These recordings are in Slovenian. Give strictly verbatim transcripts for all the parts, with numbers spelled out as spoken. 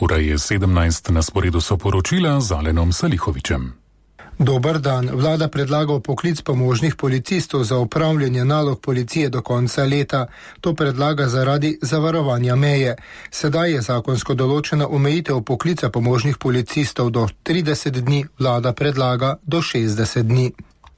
Ura je sedemnajst, na sporedu so poročila z Alenom Salihovičem. Dober dan. Vlada predlaga vpoklic pomožnih policistov za opravljanje nalog policije do konca leta. To predlaga zaradi zavarovanja meje. Sedaj je zakonsko določena omejitev vpoklica pomožnih policistov do trideset dni, vlada predlaga do šestdeset dni.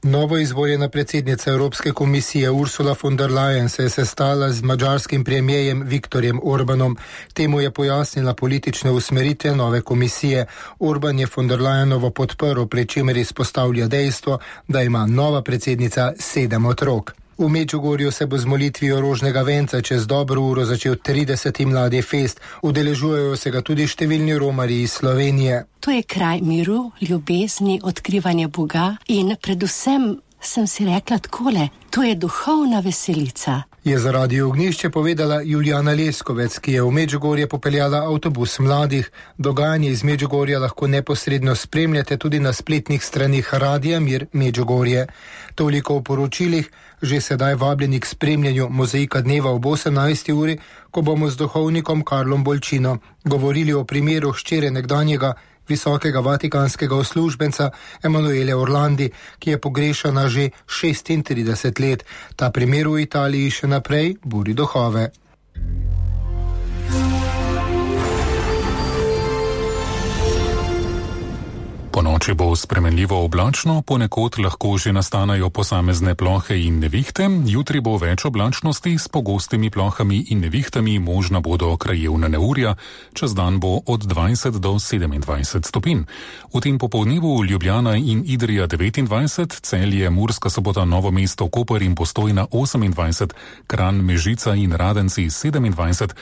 Novo izvoljena predsednica Evropske komisije Ursula von der Leyen se je sestala z madžarskim premijejem Viktorjem Orbanom. Temu je pojasnila politične usmeritve nove komisije. Orban je von der Leyenovo podprl, pri čemer izpostavlja dejstvo, da ima nova predsednica sedem otrok. V Medžugorju se bo z molitvijo rožnega venca čez dobro uro začel trideseti mladi fest. Udeležujejo se ga tudi številni romarji iz Slovenije. To je kraj miru, ljubezni, odkrivanja Boga in predvsem sem si rekla takole, to je duhovna veselica. Je za Radio Ognjišče povedala Julijana Leskovec, ki je v Medžugorje popeljala avtobus mladih. Dogajanje iz Medžugorja lahko neposredno spremljate tudi na spletnih stranih Radia Mir Medžugorje. Toliko v poročilih, že sedaj vabljeni k spremljanju Mozaika dneva ob osemnajsti uri, ko bomo z duhovnikom Karlom Bolčino govorili o primeru hčere nekdanjega visokega vatikanskega uslužbenca Emanuele Orlandi, ki je pogrešana že šestintrideset let. Ta primer v Italiji še naprej buri duhove. Po noči bo spremenljivo oblačno, ponekod lahko že nastanejo posamezne plohe in nevihte, jutri bo več oblačnosti s pogostimi plohami in nevihtami, možna bodo krajevna neurja, čez dan bo od dvajset do sedemindvajset stopinj. V tem popoldnevu Ljubljana in Idrija devetindvajset, Celje, Murska Sobota, Novo mesto, Koper in Postojna osemindvajset, Kranj, Mežica in Radenci sedemindvajset,